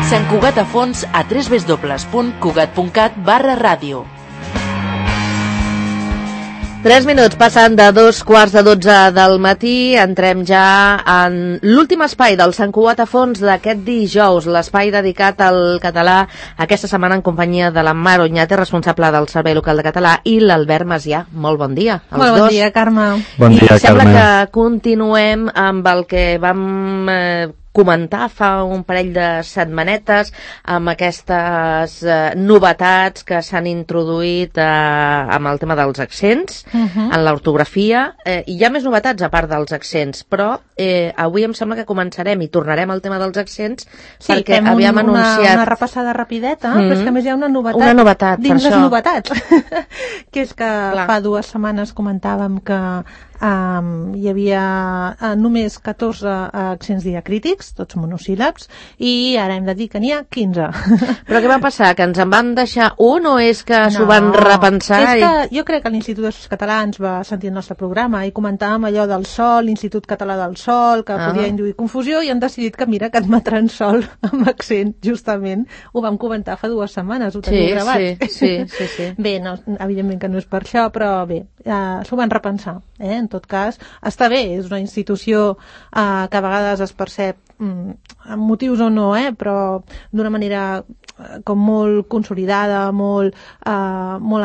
Sant Cugat a fons a www.cugat.cat/ràdio. 3 minuts passen de 2:15 del matí. Entrem ja en l'últim espai del Sant Cugat a fons d'aquest dijous, l'espai dedicat al català, aquesta setmana en companyia de la Mar Oñate, responsable del Servei Local de Català, i l'Albert Macià. Molt bon dia als dos. Molt bon dia, Carme. Bon dia, Carme. I sembla que continuem amb el que vam comentar fa un parell de setmanetes, amb aquestes novetats que s'han introduït amb el tema dels accents, en l'ortografia. Hi ha més novetats a part dels accents, però avui em sembla que començarem i tornarem al tema dels accents, perquè havíem anunciat... una repassada rapideta, però és que a més hi ha una novetat dins les novetats, que és que fa 2 setmanes comentàvem que hi havia només 14 accents diacrítics, tots monosíl·labs, i ara hem de dir que n'hi ha 15. Però què va passar? Que ens en van deixar un o és que s'ho van repensar? És que jo crec que l'Institut d'Estudis Catalans va sentir el nostre programa i comentàvem allò del sol, l'Institut Català del Sol, que podia induir confusió, i han decidit que mira, que admetran sol amb accent, justament. Ho vam comentar fa 2 setmanes, ho teniu gravat. Sí. Bé, no, evidentment que no és per això, però bé, s'ho van repensar, En tot cas, està bé, és una institució que a vegades es percep amb motius o no, però d'una manera com molt consolidada, molt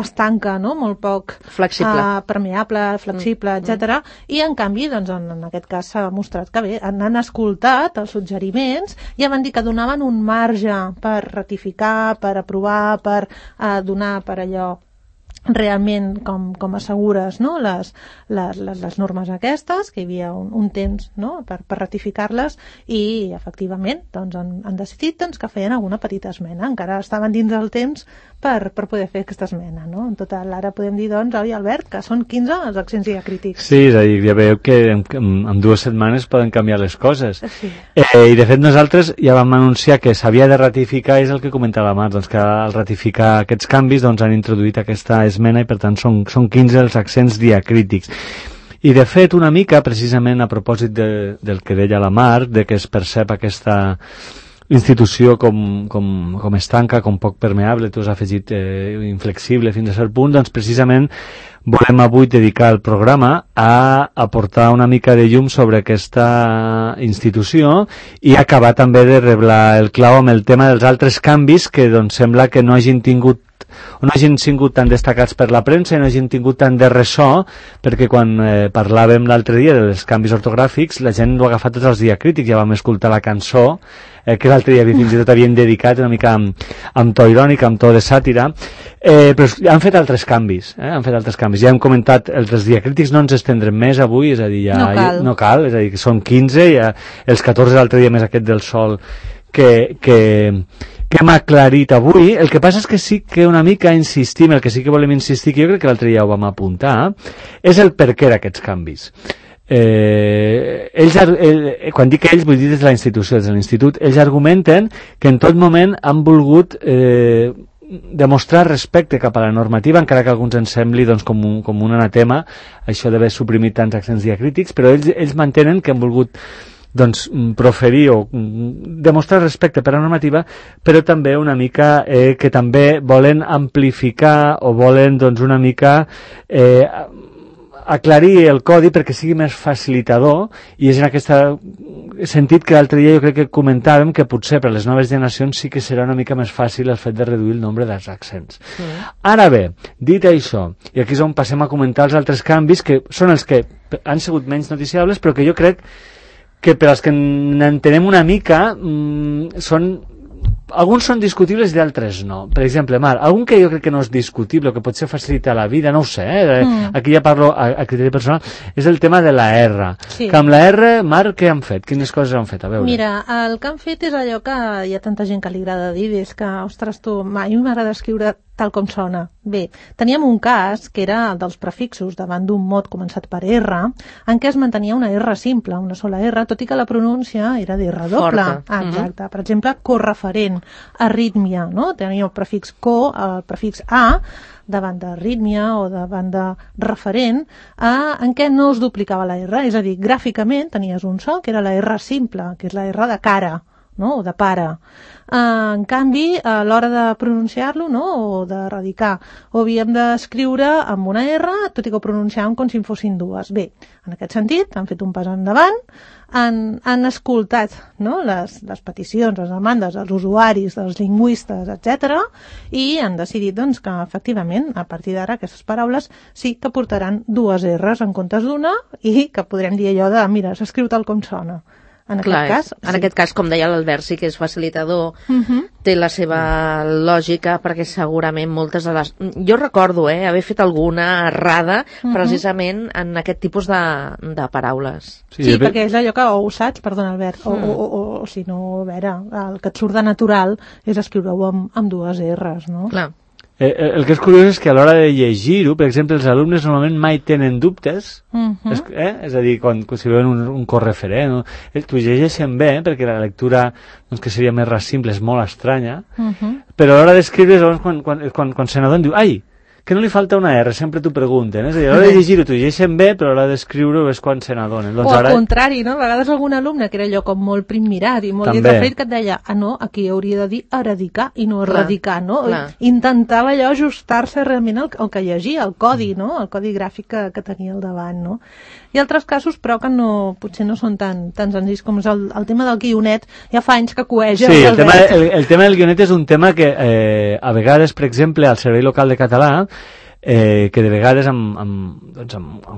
estanca, no? Molt poc flexible, permeable, flexible, etc. I en canvi, doncs, en aquest cas s'ha demostrat que bé, han escoltat els suggeriments i van dir que donaven un marge per ratificar, per aprovar, per donar per allò realment com assegures, no? les normes aquestes, que hi havia un temps, no? per ratificar-les, i efectivament doncs, han decidit que feien alguna petita esmena. Encara estaven dins del temps per poder fer aquesta esmena, no? En total, ara podem dir, doncs, oi, Albert, que són 15 els accents diacrítics. Sí, és a dir, ja veieu que en 2 setmanes poden canviar les coses. Sí. I de fet nosaltres ja vam anunciar que s'havia de ratificar, és el que comentava Mar, doncs, que al ratificar aquests canvis doncs, han introduït aquesta esmena i per tant són 15 els accents diacrítics. I de fet una mica, precisament a propòsit del que deia la Mar, de que es percep aquesta institució com estanca, com poc permeable, tu has afegit inflexible fins a cert punt, doncs precisament volem avui dedicar el programa a aportar una mica de llum sobre aquesta institució i acabar també de reblar el clau amb el tema dels altres canvis que doncs sembla que no hagin tingut o no hagin sigut tan destacats per la premsa i no hagin tingut tant de ressò, perquè quan parlàvem l'altre dia dels canvis ortogràfics la gent ho ha agafat tots els diacrítics. Ja vam escoltar la cançó que l'altre dia fins i tot havien dedicat una mica amb to irònic, amb to de sàtira, però han fet altres canvis, ja hem comentat els diacrítics, no ens estendrem més avui, és a dir, no cal, és a dir, que són 15, ja, els 14 l'altre dia més aquest del sol que hem aclarit avui. El que passa és que sí que una mica insistim, el que sí que volem insistir, que jo crec que l'altre dia ho vam apuntar, és el per què d'aquests canvis. Quan dic ells vull dir des de la institució, des de l'institut, ells argumenten que en tot moment han volgut demostrar respecte cap a la normativa, encara que a alguns ens sembli doncs, com un anatema això d'haver suprimit tants accents diacrítics, però ells mantenen que han volgut doncs proferir o demostrar respecte per la normativa, però també una mica que també volen amplificar o volen doncs una mica aclarir el codi perquè sigui més facilitador, i és en aquest sentit que l'altre dia jo crec que comentàvem que potser per a les noves generacions sí que serà una mica més fàcil el fet de reduir el nombre dels accents. Ara bé, dit això, i aquí és on passem a comentar els altres canvis que són els que han sigut menys noticiables, però que jo crec que per als que n'entenem una mica alguns són discutibles i d'altres no. Per exemple, Mar, algun que jo crec que no és discutible o que potser facilita la vida, no ho sé, aquí ja parlo a criteri personal, és el tema de la R. Sí. Que amb la R, Mar, què han fet? Quines coses han fet? A veure. Mira, el que han fet és allò que hi ha tanta gent que li agrada dir, és que, ostres, tu, a mi m'agrada escriure tal com sona. Bé, teníem un cas que era el dels prefixos davant d'un mot començat per R, en què es mantenia una R simple, una sola R, tot i que la pronúncia era d'R doble. Exacte. Per exemple, correferent, arrítmia, no? Tenia el prefix co, el prefix a, davant d'arrítmia o davant de referent, en què no es duplicava la R, és a dir, gràficament tenies un so, que era la R simple, que és la R de cara, no? O de pare. En canvi, a l'hora de pronunciar-lo, no? O de radicar, ho havíem d'escriure amb una R, tot i que ho pronunciàvem com si en fossin dues. Bé, en aquest sentit, han fet un pas endavant, han escoltat, no? les peticions, les demandes dels usuaris, dels lingüistes, etc. i han decidit doncs, que, efectivament, a partir d'ara, aquestes paraules sí que portaran dues R's en comptes d'una i que podrem dir allò de, mira, s'escriu tal com sona. En aquest cas, com deia l'Albert, sí que és facilitador, té la seva lògica, perquè segurament moltes de les... Jo recordo haver fet alguna errada precisament en aquest tipus de paraules. Sí, perquè és allò que ho saps, perdona Albert, o si no, a veure, el que et surt de natural és escriure-ho amb dues R's, no? Clar. El que és curiós és que a l'hora de llegir-ho, per exemple, els alumnes normalment mai tenen dubtes, és a dir, quan si veuen un correferent, t'ho llegeixen bé, perquè la lectura doncs, que seria més simple és molt estranya, però a l'hora d'escriure, quan se n'adonen, diu, ai, que no li falta una R, sempre t'ho pregunten, és a dir, a l'hora de llegir-ho t'ho llegeixen bé, però a l'hora d'escriure-ho és quan se n'adonen. Doncs o al contrari, no? A vegades algun alumne que era allò com molt primmirat i molt referit que et deia, no, aquí hauria de dir eradicar i no erradicar, no? Intentava allò ajustar-se realment al que llegia, el codi, no? El codi gràfic que tenia al davant, no? Hi ha altres casos, però que potser no són tan senzills com és el tema del guionet, ja fa anys que coeja. Sí, el tema del guionet és un tema que a vegades, per exemple, al Servei Local de Català, que de vegades amb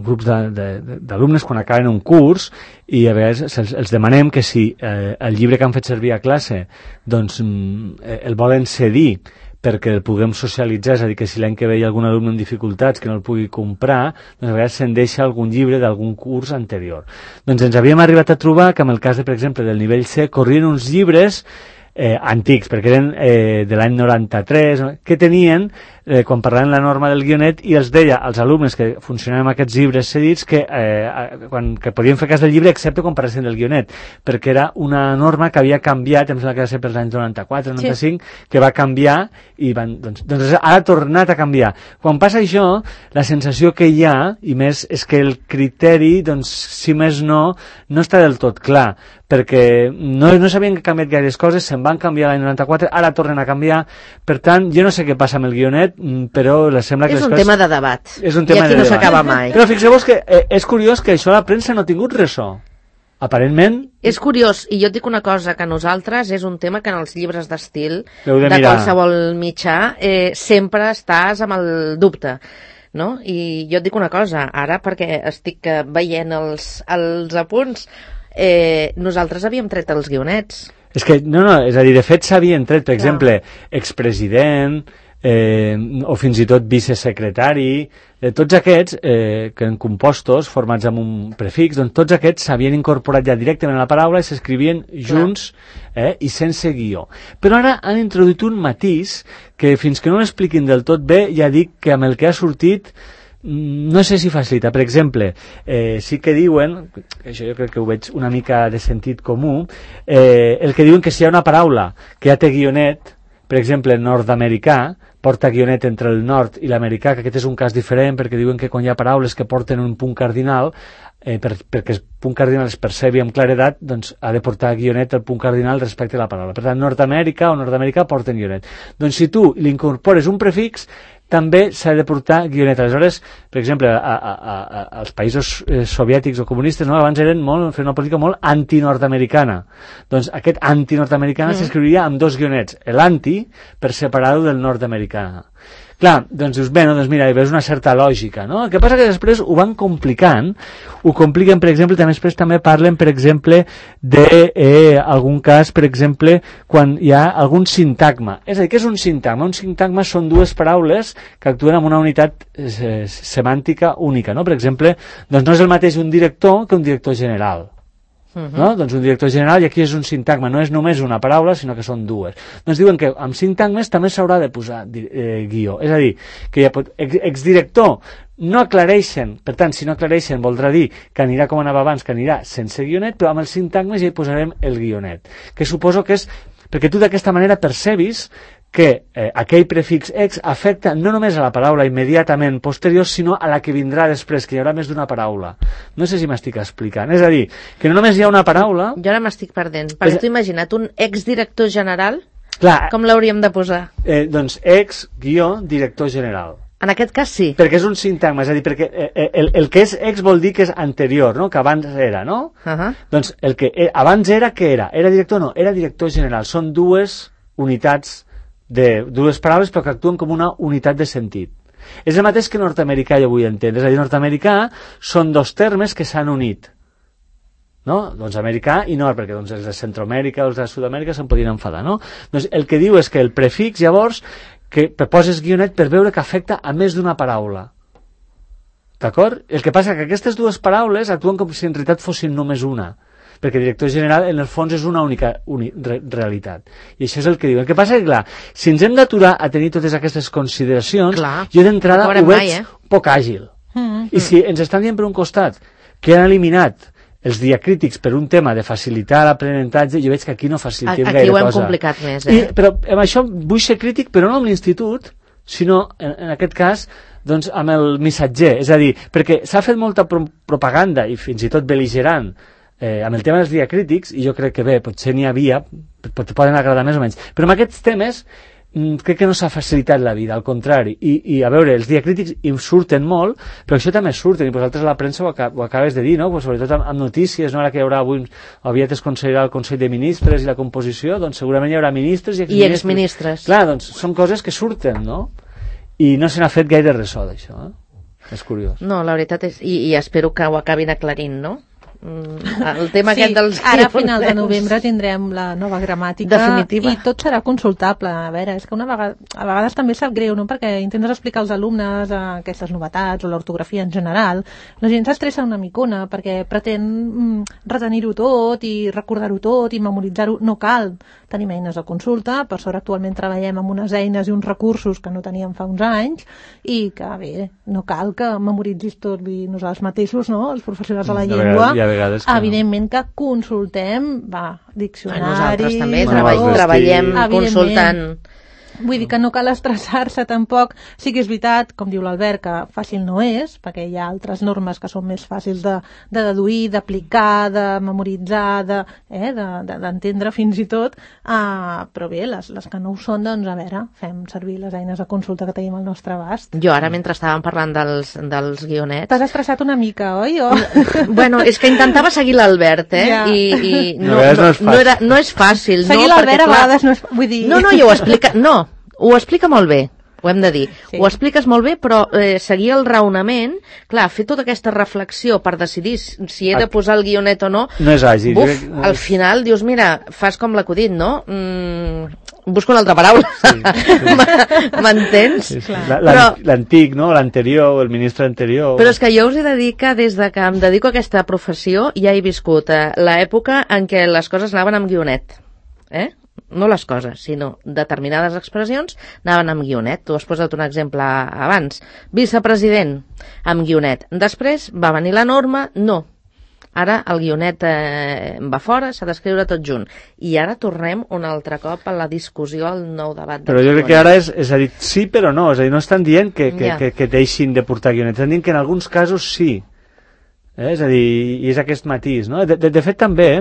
grups d'alumnes quan acaben un curs i a vegades els demanem que si el llibre que han fet servir a classe doncs el volen cedir perquè el puguem socialitzar, és a dir, que si l'any que ve hi ha algun alumne amb dificultats que no el pugui comprar, doncs a vegades se'n deixa algun llibre d'algun curs anterior. Doncs ens havíem arribat a trobar que en el cas, per exemple, del nivell C, corrien uns llibres antics, perquè eren de l'any 93, que tenien, quan parlaven la norma del guionet, i els deia als alumnes que funcionaven amb aquests llibres cedits que podien fer cas del llibre excepte quan parlessin del guionet, perquè era una norma que havia canviat, em sembla que va ser per l'any 94, 95, que va canviar i doncs ara ha tornat a canviar. Quan passa això, la sensació que hi ha, i més, és que el criteri, doncs, si més no està del tot clar, perquè no s'havien canviat gaires coses, se'n van canviar l'any 94, ara tornen a canviar, per tant, jo no sé què passa amb el guionet, però sembla que és un tema de debat, és un tema i aquí no s'acaba mai. Però fixeu-vos que és curiós que això a la premsa no ha tingut ressò. Aparentment... És curiós, i jo et dic una cosa, que nosaltres és un tema que en els llibres d'estil de qualsevol mitjà sempre estàs amb el dubte. No? I jo et dic una cosa, ara perquè estic veient els apunts, nosaltres havíem tret els guionets. És que, és a dir, de fet s'havien tret, per exemple, expresident, o fins i tot vicesecretari, tots aquests que en compostos formats amb un prefix, doncs tots aquests s'havien incorporat ja directament a la paraula i s'escrivien junts i sense guió. Però ara han introduït un matís que fins que no l'expliquin del tot bé ja dic que amb el que ha sortit no sé si facilita. Per exemple, sí que diuen, això jo crec que ho veig una mica de sentit comú, el que diuen que si hi ha una paraula que ja té guionet, per exemple, nord-americà, porta guionet entre el nord i l'americà, que aquest és un cas diferent perquè diuen que quan hi ha paraules que porten un punt cardinal, perquè el punt cardinal es percebi amb claredat, doncs ha de portar guionet el punt cardinal respecte a la paraula. Per tant, Nord-Amèrica o Nord-Americà porten guionet. Doncs si tu li incorpores un prefix, també s'ha de portar guionet. Aleshores, per exemple, als països soviètics o comunistes, abans feien una política molt anti-nord-americana. Doncs aquest anti-nord-americana s'escriuria amb dos guionets, l'anti per separar-ho del nord-americana. Clar, doncs dius, bé, doncs mira, hi veus una certa lògica, no? El que passa que després ho van complicant, ho compliquen, per exemple, després també parlen, per exemple, d'algun cas, per exemple, quan hi ha algun sintagma. És a dir, què és un sintagma? Un sintagma són dues paraules que actuen amb una unitat semàntica única, no? Per exemple, doncs no és el mateix un director que un director general. No? Doncs un director general, i aquí és un sintagma, no és només una paraula sinó que són dues. Doncs diuen que amb sintagmes també s'haurà de posar guió, és a dir, que exdirector no aclareixen, per tant si no aclareixen voldrà dir que anirà com anava abans, que anirà sense guionet, però amb els sintagmes ja hi posarem el guionet, que suposo que és perquè tu d'aquesta manera percebis que aquell prefix ex afecta no només a la paraula immediatament posterior, sinó a la que vindrà després, que hi haurà més d'una paraula. No sé si m'estic explicant. És a dir, que no només hi ha una paraula... Jo ara m'estic perdent. Perquè t'ho imagina't, un exdirector general, clar, com l'hauríem de posar? Doncs ex-director general. En aquest cas sí. Perquè és un sintagma, és a dir, perquè el que és ex vol dir que és anterior, no? Que abans era, no? Doncs el que abans era, què era? Era director? No, era director general. Són dues unitats, dues paraules, però que actuen com una unitat de sentit. És el mateix que nord-americà, jo vull entendre. És a dir, nord-americà són dos termes que s'han unit. No? Doncs americà i nord, perquè doncs, els de Centroamèrica o els de Sud-amèrica se'n podien enfadar, no? Doncs el que diu és que el prefix, llavors, que poses guionet per veure que afecta a més d'una paraula. D'acord? El que passa que aquestes dues paraules actuen com si en realitat fossin només una, perquè director general en el fons és una única realitat. I això és el que diu. El que passa és que, clar, si ens hem d'aturar a tenir totes aquestes consideracions, jo d'entrada ho veig poc àgil. I si ens estan dient per un costat que han eliminat els diacrítics per un tema de facilitar l'aprenentatge, jo veig que aquí no facilitem gaire cosa. Aquí ho hem complicat més, Però amb això vull ser crític, però no amb l'institut, sinó, en aquest cas, doncs, amb el missatger. És a dir, perquè s'ha fet molta propaganda, i fins i tot bel·ligerant, amb el tema dels diacrítics, i jo crec que bé, potser n'hi havia, poden agradar més o menys, però amb aquests temes crec que no s'ha facilitat la vida, al contrari, i a veure, els diacrítics hi surten molt, però això també surten, i vosaltres a la premsa ho acabes de dir, no? Pues sobretot amb notícies, no? Ara que hi haurà avui, aviat es concedirà el Consell de Ministres i la composició, doncs segurament hi haurà ministres i exministres. I exministres. Clar, doncs són coses que surten, no? I no se n'ha fet gaire ressò d'això, És curiós. No, la veritat és, i espero que ho acabin aclarint, no? El tema aquest dels ara a final de novembre tindrem la nova gramàtica definitiva i tot serà consultable. A veure, és que a vegades també sap greu, no? Perquè intentes explicar als alumnes aquestes novetats o l'ortografia en general, la gent s'estressa una micona perquè pretén retenir-ho tot i recordar-ho tot i memoritzar-ho. No cal, tenim eines de consulta, per sort actualment treballem amb unes eines i uns recursos que no teníem fa uns anys i que bé, no cal que memoritzis tot nosaltres mateixos, no? Els professionals de la llengua evidentment que consultem diccionaris, nosaltres també treballem consultant. Vull dir que no cal estressar-se tampoc. Sí que és veritat, com diu l'Albert, que fàcil no és, perquè hi ha altres normes que són més fàcils de deduir, d'aplicar, de memoritzar, d'entendre fins i tot, però bé, les que no ho són, doncs a veure, fem servir les eines de consulta que tenim al nostre abast. Jo ara, mentre estàvem parlant dels guionets... T'has estressat una mica, oi? Bueno, és que intentava seguir l'Albert, i no és fàcil. Seguir l'Albert a vegades no és... Vull dir... No, ho explica molt bé, ho hem de dir. Sí. Ho expliques molt bé, però seguir el raonament, clar, fer tota aquesta reflexió per decidir si he de posar el guionet o no, no és àgil. Al final dius, mira, fas com l'acudit, no? Busco una altra paraula. Sí. M'entens? Sí. L'antic, no? L'anterior, el ministre anterior... Però és que jo us he de dir que des de que em dedico a aquesta professió ja he viscut l'època en què les coses anaven amb guionet. No les coses, sinó determinades expressions anaven amb guionet. Tu has posat un exemple abans. Vicepresident, amb guionet. Després va venir la norma, no. Ara el guionet va fora, s'ha d'escriure tot junt. I ara tornem un altre cop a la discussió, al nou debat. Però jo crec que ara és a dir, sí però no. És a dir, no estan dient que deixin de portar guionet. Estan dient que en alguns casos sí. És a dir, i és aquest matís, no? De fet també...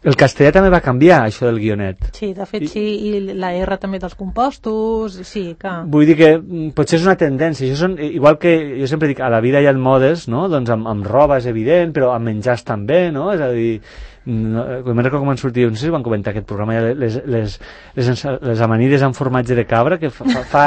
El castellà també va canviar, això del guionet. Sí, de fet sí, i la R també dels compostos, sí, que... Vull dir que potser és una tendència, això són, igual que jo sempre dic, a la vida hi ha modes, no? Doncs amb roba és evident, però amb menjars també, no? És a dir, me'n recordo com han sortit, no sé si van comentar aquest programa, les amanides amb formatge de cabra, que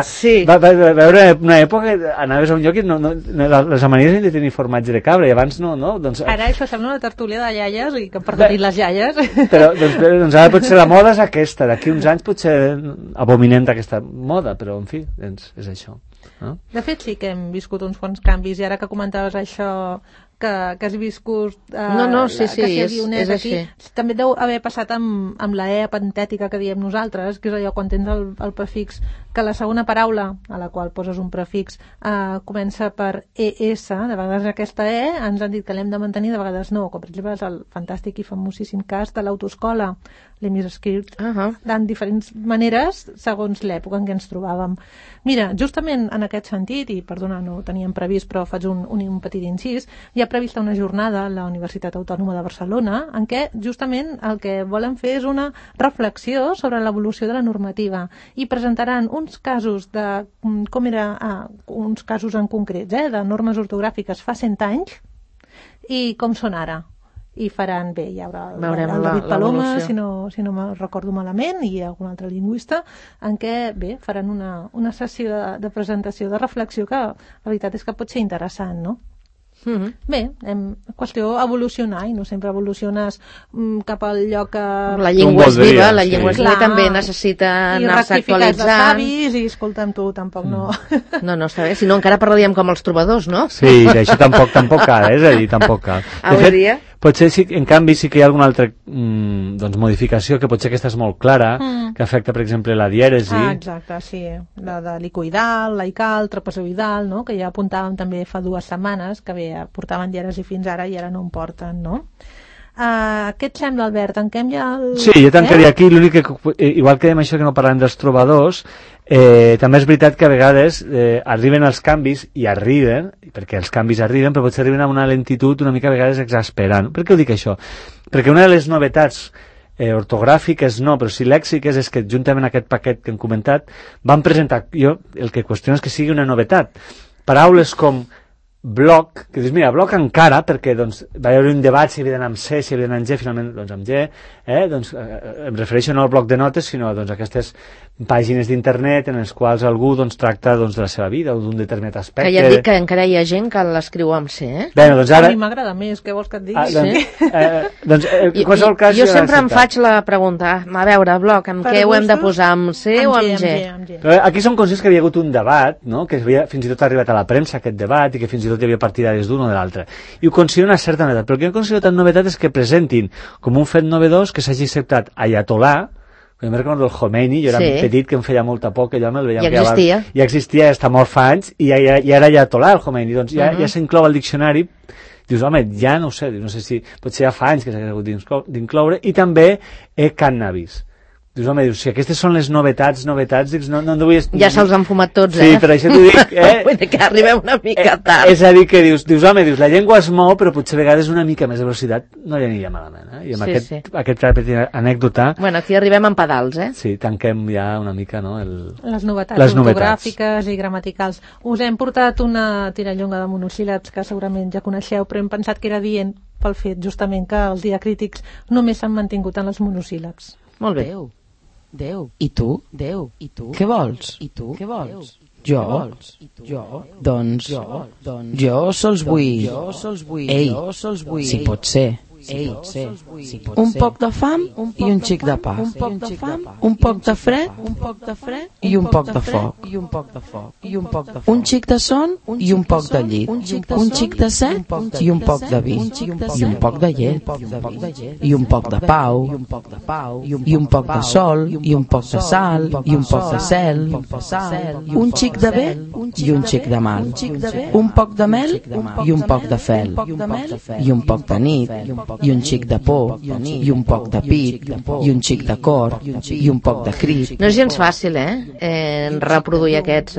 sí. Va veure una època que anaves a un lloc i les amanides han de tenir formatge de cabra, i abans no? Doncs, ara això sembla una tertúlia de iaies, i que han perdonat les iaies. Doncs ara potser la moda és aquesta, d'aquí uns anys potser abominem d'aquesta moda, però en fi, doncs és això. No? De fet sí que hem viscut uns quants canvis, i ara que comentaves això que has viscut sí, que si el guionet és aquí. així. També deu haver passat amb la E apentètica que diem nosaltres, que és allò quan tens el prefix, que la segona paraula a la qual poses un prefix comença per ES, de vegades aquesta E ens han dit que l'hem de mantenir, de vegades no, com per exemple és el fantàstic i famosíssim cas de l'autoescola, l'hem escrit en diferents maneres segons l'època en què ens trobàvem. Mira, justament en aquest sentit, i perdona, no ho teníem previst, però faig un petit incís, hi ha prevista una jornada a la Universitat Autònoma de Barcelona en què justament el que volen fer és una reflexió sobre l'evolució de la normativa i presentaran uns casos de com era, uns casos en concrets, de normes ortogràfiques fa 100 anys i com són ara. I faran, bé, hi haurà el David Paloma, si no me recordo malament, i algun altre lingüista, en què, bé, faran una sessió de presentació, de reflexió, que la veritat és que pot ser interessant, no? Bé, qüestió evolucionar, i no sempre evoluciones cap al lloc que... La llengua és viva, la llengua és viva, també necessita anar-se actualitzant. I rectifiques de savis, i escolta'm tu, tampoc no... No, està bé, si no encara parlaríem com els trobadors, no? Sí, això tampoc cal, és a dir, tampoc cal. De fet, potser sí, en canvi sí que hi ha alguna altra modificació que potser aquesta és molt clara, que afecta, per exemple, la dièresi. Exacte, sí. La de licoidal, laical, trapezoidal, no? Que ja apuntàvem també fa 2 setmanes, que bé, portaven dièresi fins ara i ara no en porten, no? Què et sembla, Albert? Tanquem ja el... Sí, jo tancaria aquí, l'únic que, igual que dèiem això que no parlem dels trobadors, també és veritat que a vegades arriben els canvis i arriben, perquè els canvis arriben, però potser arriben amb una lentitud una mica a vegades exasperant. Per què ho dic això? Perquè una de les novetats ortogràfiques no, però sí lèxiques és que juntament amb aquest paquet que hem comentat van presentar, jo el que qüestiono és que sigui una novetat, paraules com bloc, que dius, mira, bloc encara, perquè doncs, va haver un debat si havia d'anar amb C, si havia d'anar amb G, finalment doncs amb G, doncs, em refereixo no al bloc de notes, sinó doncs, aquestes pàgines d'internet en les quals algú doncs, tracta doncs, de la seva vida o d'un determinat aspecte. Que ja et dic que encara hi ha gent que l'escriu amb C, Bueno, doncs ara... A mi m'agrada més, què vols que et digui? Doncs, en qualsevol cas... Jo sempre em faig la pregunta, a veure, bloc, amb què ho hem de posar, amb C o amb G? Aquí som conscients que havia hagut un debat, no? Que havia fins i tot arribat a la premsa aquest debat i que fins i tot hi havia partidaris d'un o de l'altre. I ho considero una certa novetat, però el que no considero tan novetat és que presentin com un fet novedós que s'hagi acceptat Ayatollah, jo me'n recordo el Khomeini, jo era petit que em feia molta por que allò me'l veia... Ja existia, està molt fa anys, i ara Ayatollah el Khomeini, doncs ja s'inclou al diccionari. Dius, home, ja no ho sé, no sé si potser ja fa anys que s'ha hagut d'incloure, i també cannabis. Dius, home, si aquestes són les novetats, dius, no vull... Ja se'ls han fumat tots, Sí, per això t'ho dic, Vull dir que arribem una mica tard. És a dir, que dius, home, la llengua es mou, però potser a vegades una mica més de velocitat no li aniria malament, I amb aquest petit anècdota... Bueno, aquí arribem amb pedals, Sí, tanquem ja una mica, no? Les novetats ortogràfiques i gramaticals. Us hem portat una tirallonga de monosíl·labs que segurament ja coneixeu, però hem pensat que era dient pel fet, justament, que els diacrítics només s'han mantingut en els monosíl·labs. Molt bé. Déu. I tu? Déu. I tu? Què vols? I tu? Què vols? Jo? Doncs jo sols vull... Ei, si pot ser. Un poc de fam i un xic de pa. Un poc de fred i un poc de foc. Un xic de son i un poc de llit. Un xic de set i un poc de vi. I un poc de llet. I un poc de pau. I un poc de sol. I un poc de sal. I un poc de cel. Un xic de bé i un xic de mal. Un poc de mel i un poc de fel. I un poc de nit. I un xic de por, i un poc de pit, i un xic de cor, i un poc de crit. No és gens fàcil, reproduir aquests...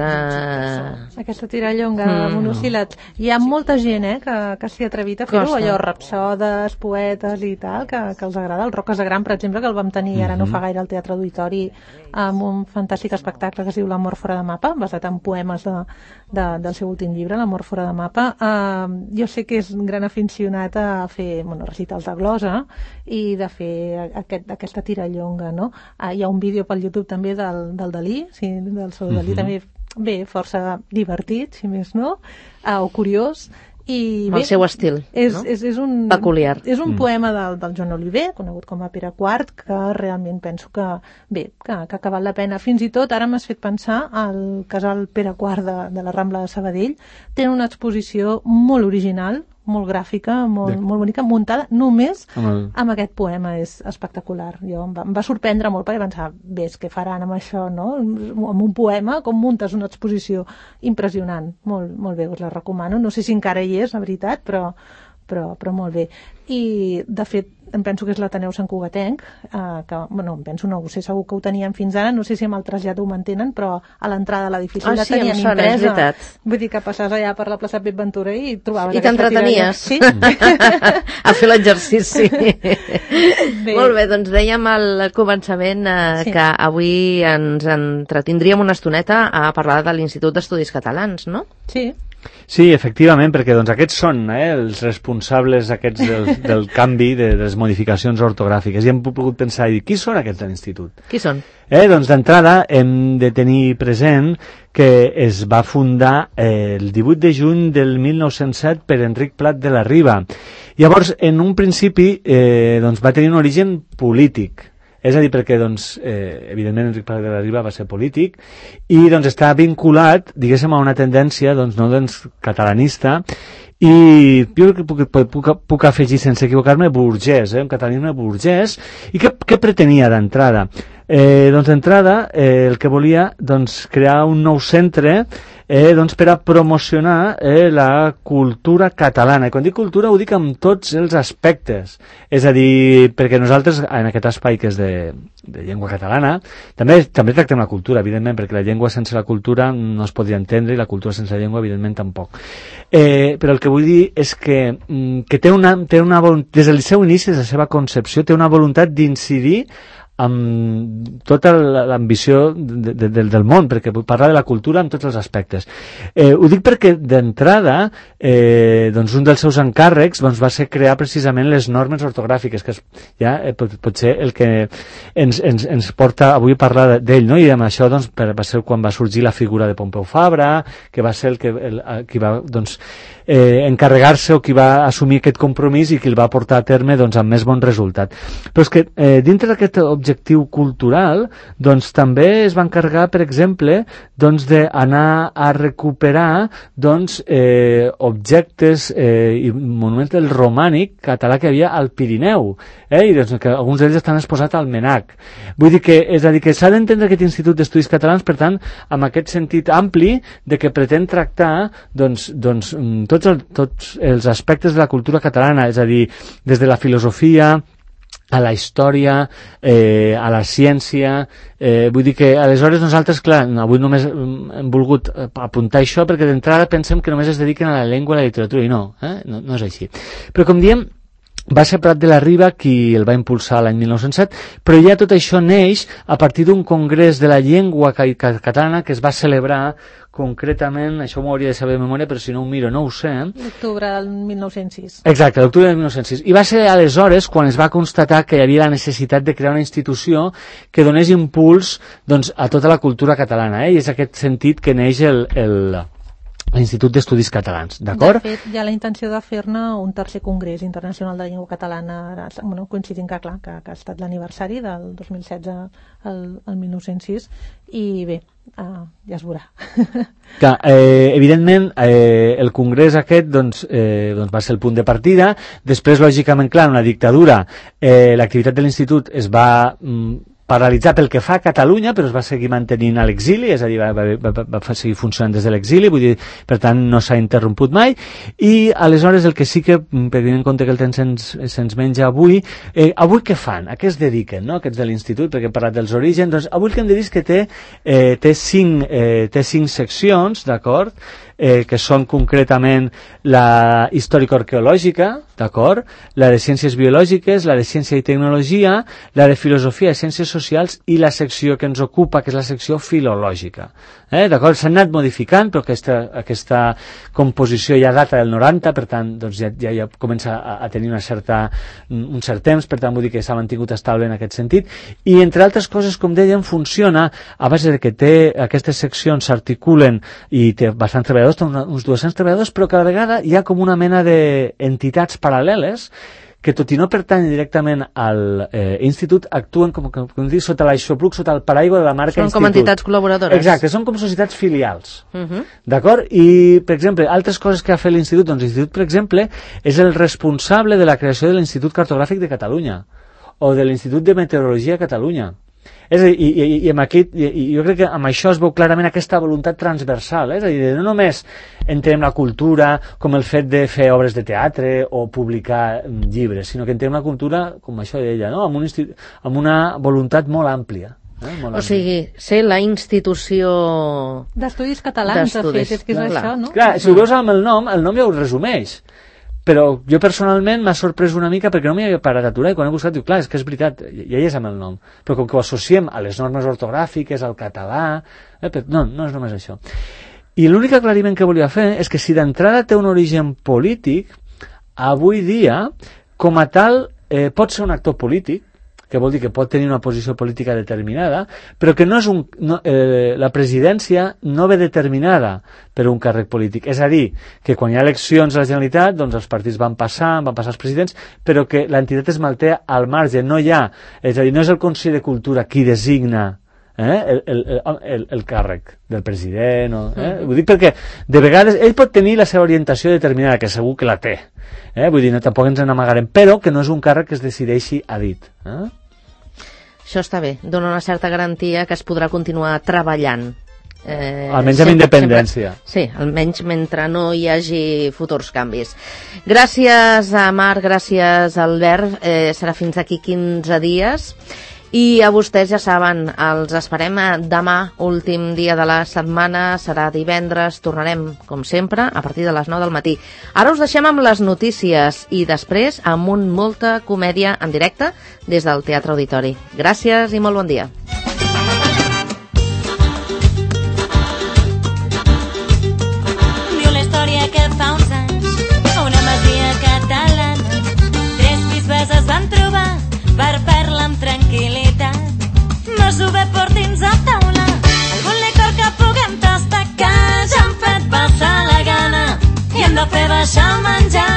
Aquesta tirallonga de monosíl·labs. Hi ha molta gent, que s'hi ha atrevit a fer-ho, allò, rapsodes, poetes i tal, que els agrada. El Roques de Gran, per exemple, que el vam tenir ara no fa gaire al Teatre Auditori, amb un fantàstic espectacle que es diu L'amor fora de mapa, basat en poemes del seu últim llibre, L'amor fora de mapa. Jo sé que és un gran aficionat a fer recitals de glosa i de fer aquesta tirallonga, no? Hi ha un vídeo pel YouTube també del Dalí, del Salvador Dalí, també bé, força divertit, si més no, o curiós, i el seu estil, és un peculiar. És un poema del Joan Oliver, conegut com a Pere IV, que realment penso que ha acabat la pena. Fins i tot ara m'has fet pensar al casal Pere IV de la Rambla de Sabadell. Tenen una exposició molt original, molt gràfica, molt bonica, muntada només amb aquest poema. És espectacular. Jo em va sorprendre molt perquè pensava, ves, què faran amb això, no? Amb un poema, com muntes una exposició impressionant. Molt, molt bé, us la recomano. No sé si encara hi és, la veritat, però molt bé. I, de fet, em penso que és l'Ateneu Sant Cugatenc, que, bueno, em penso, no ho sé, segur que ho tenien fins ara, no sé si amb el trasllat ho mantenen, però a l'entrada de l'edifici la tenien impresa. Vull dir que passaves allà per la plaça Pep Ventura i trobaves... I t'entretenies. Sí? A fer l'exercici. Molt bé, doncs dèiem al començament que avui ens entretindríem una estoneta a parlar de l'Institut d'Estudis Catalans, no? Sí. Sí, efectivament, perquè doncs, aquests són els responsables aquests del canvi, de les modificacions ortogràfiques. I hem pogut pensar, qui són aquests de l'Institut? Qui són? Doncs d'entrada hem de tenir present que es va fundar el 18 de juny del 1907 per Enric Plat de la Riba. Llavors, en un principi, doncs, va tenir un origen polític. És a dir, perquè, doncs, evidentment, Enric Prat de la Riba va ser polític i doncs, està vinculat, diguéssim, a una tendència catalanista i jo puc afegir, sense equivocar-me, burgès, un catalanisme burgès. I què pretenia d'entrada? Doncs d'entrada el que volia crear un nou centre per a promocionar la cultura catalana. I quan dic cultura ho dic amb tots els aspectes. És a dir, perquè nosaltres en aquest espai que és de llengua catalana també tractem la cultura, evidentment, perquè la llengua sense la cultura no es podria entendre i la cultura sense la llengua, evidentment, tampoc. Però el que vull dir és que té una des del seu inici, des de la seva concepció, té una voluntat d'incidir amb tota l'ambició del món, perquè vull parlar de la cultura en tots els aspectes. Ho dic perquè d'entrada un dels seus encàrrecs va ser crear precisament les normes ortogràfiques, que pot ser el que ens porta avui a parlar d'ell, no? I amb això va ser quan va sorgir la figura de Pompeu Fabra, que va ser qui va encarregar-se o qui va assumir aquest compromís i qui el va portar a terme amb més bon resultat. Però és que dintre d'aquest objectiu cultural també es va encarregar, per exemple, d'anar a recuperar objectes i monuments del romànic català que hi havia al Pirineu, i que alguns d'ells estan exposats al MNAC. Vull dir que, és a dir, que s'ha d'entendre aquest Institut d'Estudis Catalans, per tant, amb aquest sentit ampli de que pretén tractar tots els aspectes de la cultura catalana, és a dir, des de la filosofia a la història, a la ciència. Vull dir que aleshores nosaltres, clar, avui només hem volgut apuntar això perquè d'entrada pensem que només es dediquen a la llengua i a la literatura, i no és així. Però com diem, va ser Prat de la Riba qui el va impulsar l'any 1907, però ja tot això neix a partir d'un congrés de la llengua catalana que es va celebrar concretament, això m'ho hauria de saber de memòria, però si no ho miro no ho sé. L'octubre del 1906. Exacte, l'octubre del 1906. I va ser aleshores quan es va constatar que hi havia la necessitat de crear una institució que donés impuls a tota la cultura catalana, i és aquest sentit que neix l'Institut d'Estudis Catalans, d'acord? De fet, hi ha la intenció de fer-ne un tercer congrés internacional de llengua catalana, coincidint que, clar, que ha estat l'aniversari del 2016 al 1906, i bé, ja es veurà. Que, evidentment, el congrés aquest va ser el punt de partida. Després, lògicament, clar, en la dictadura l'activitat de l'Institut es va paralitzar pel que fa a Catalunya, però es va seguir mantenint a l'exili, és a dir, va seguir funcionant des de l'exili, vull dir, per tant, no s'ha interromput mai, i aleshores el que sí que, tenint en compte que el temps se'ns menja avui què fan? A què es dediquen, no?, aquests de l'Institut, perquè hem parlat dels orígens, doncs avui el que hem de dir és que té cinc seccions, d'acord?, que són concretament la històrico-arqueològica, d'acord? La de ciències biològiques, la de ciència i tecnologia, la de filosofia i ciències socials i la secció que ens ocupa, que és la secció filològica. D'acord? S'han anat modificant, però aquesta composició ja data del 90, per tant, doncs ja comença a tenir un cert temps, per tant, vull dir que s'ha mantingut estable en aquest sentit. I, entre altres coses, com dèiem, funciona a base de que aquestes seccions s'articulen i té bastants treballadors, uns 200 treballadors, però cada vegada hi ha com una mena d'entitats paral·leles que tot i no pertanyen directament al institut, actuen com dic, sota l'aixopluc, sota el paraigua de la marca Són institut. com entitats col·laboradores. Exacte, són com societats filials. D'acord? I, per exemple, altres coses que ha fet l'institut, doncs l'institut, per exemple, és el responsable de la creació de l'Institut Cartogràfic de Catalunya o de l'Institut de Meteorologia de Catalunya. És a dir, i jo crec que amb això es veu clarament aquesta voluntat transversal, és a dir, no només entrem la cultura com el fet de fer obres de teatre o publicar llibres, sinó que entrem la cultura, com això deia, no? amb una voluntat molt àmplia. O sigui, ser la institució d'estudis catalans, de fet, és que és això, no? Clar, si ho veus amb el nom ja ho resumeix. Però jo personalment m'ha sorprès una mica perquè no m'hi havia parat a aturar i quan he buscat dic, clar, és que és veritat, ja hi és amb el nom, però com que ho associem a les normes ortogràfiques, al català, no és només això. I l'únic aclariment que volia fer és que si d'entrada té un origen polític, avui dia, com a tal, pot ser un actor polític, que vol dir que pot tenir una posició política determinada, però que no és la presidència no ve determinada per un càrrec polític. És a dir, que quan hi ha eleccions a la Generalitat, doncs els partits van passar els presidents, però que l'entitat es manté al marge, no hi ha, és a dir, no és el Consell de Cultura qui designa el càrrec del president. Ho dic perquè de vegades ell pot tenir la seva orientació determinada, que segur que la té. Vull dir, tampoc ens n'amagarem, però que no és un càrrec que es decideixi a dit. Això està bé, dona una certa garantia que es podrà continuar treballant. Almenys amb independència. Sí, almenys mentre no hi hagi futurs canvis. Gràcies a Marc, gràcies a Albert, serà fins aquí 15 dies. I a vostès ja saben, els esperem demà, últim dia de la setmana, serà divendres, tornarem, com sempre, a partir de les 9 del matí. Ara us deixem amb les notícies i després amb molta comèdia en directe des del Teatre Auditori. Gràcies i molt bon dia. Viu la història que fa uns anys a una masia catalana 3 bisbes es van trobar per parlar amb tranquil·litat. Masové, porti'ns a taula algun licor que puguem tastar, que ja han fet passar la gana i hem de fer baixar el menjar.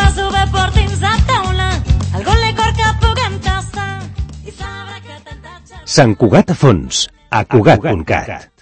Masové, porti'ns a taula algun licor que puguem tastar i sabrà que tantatge... Sant Cugat a fons, a Cugat.cat.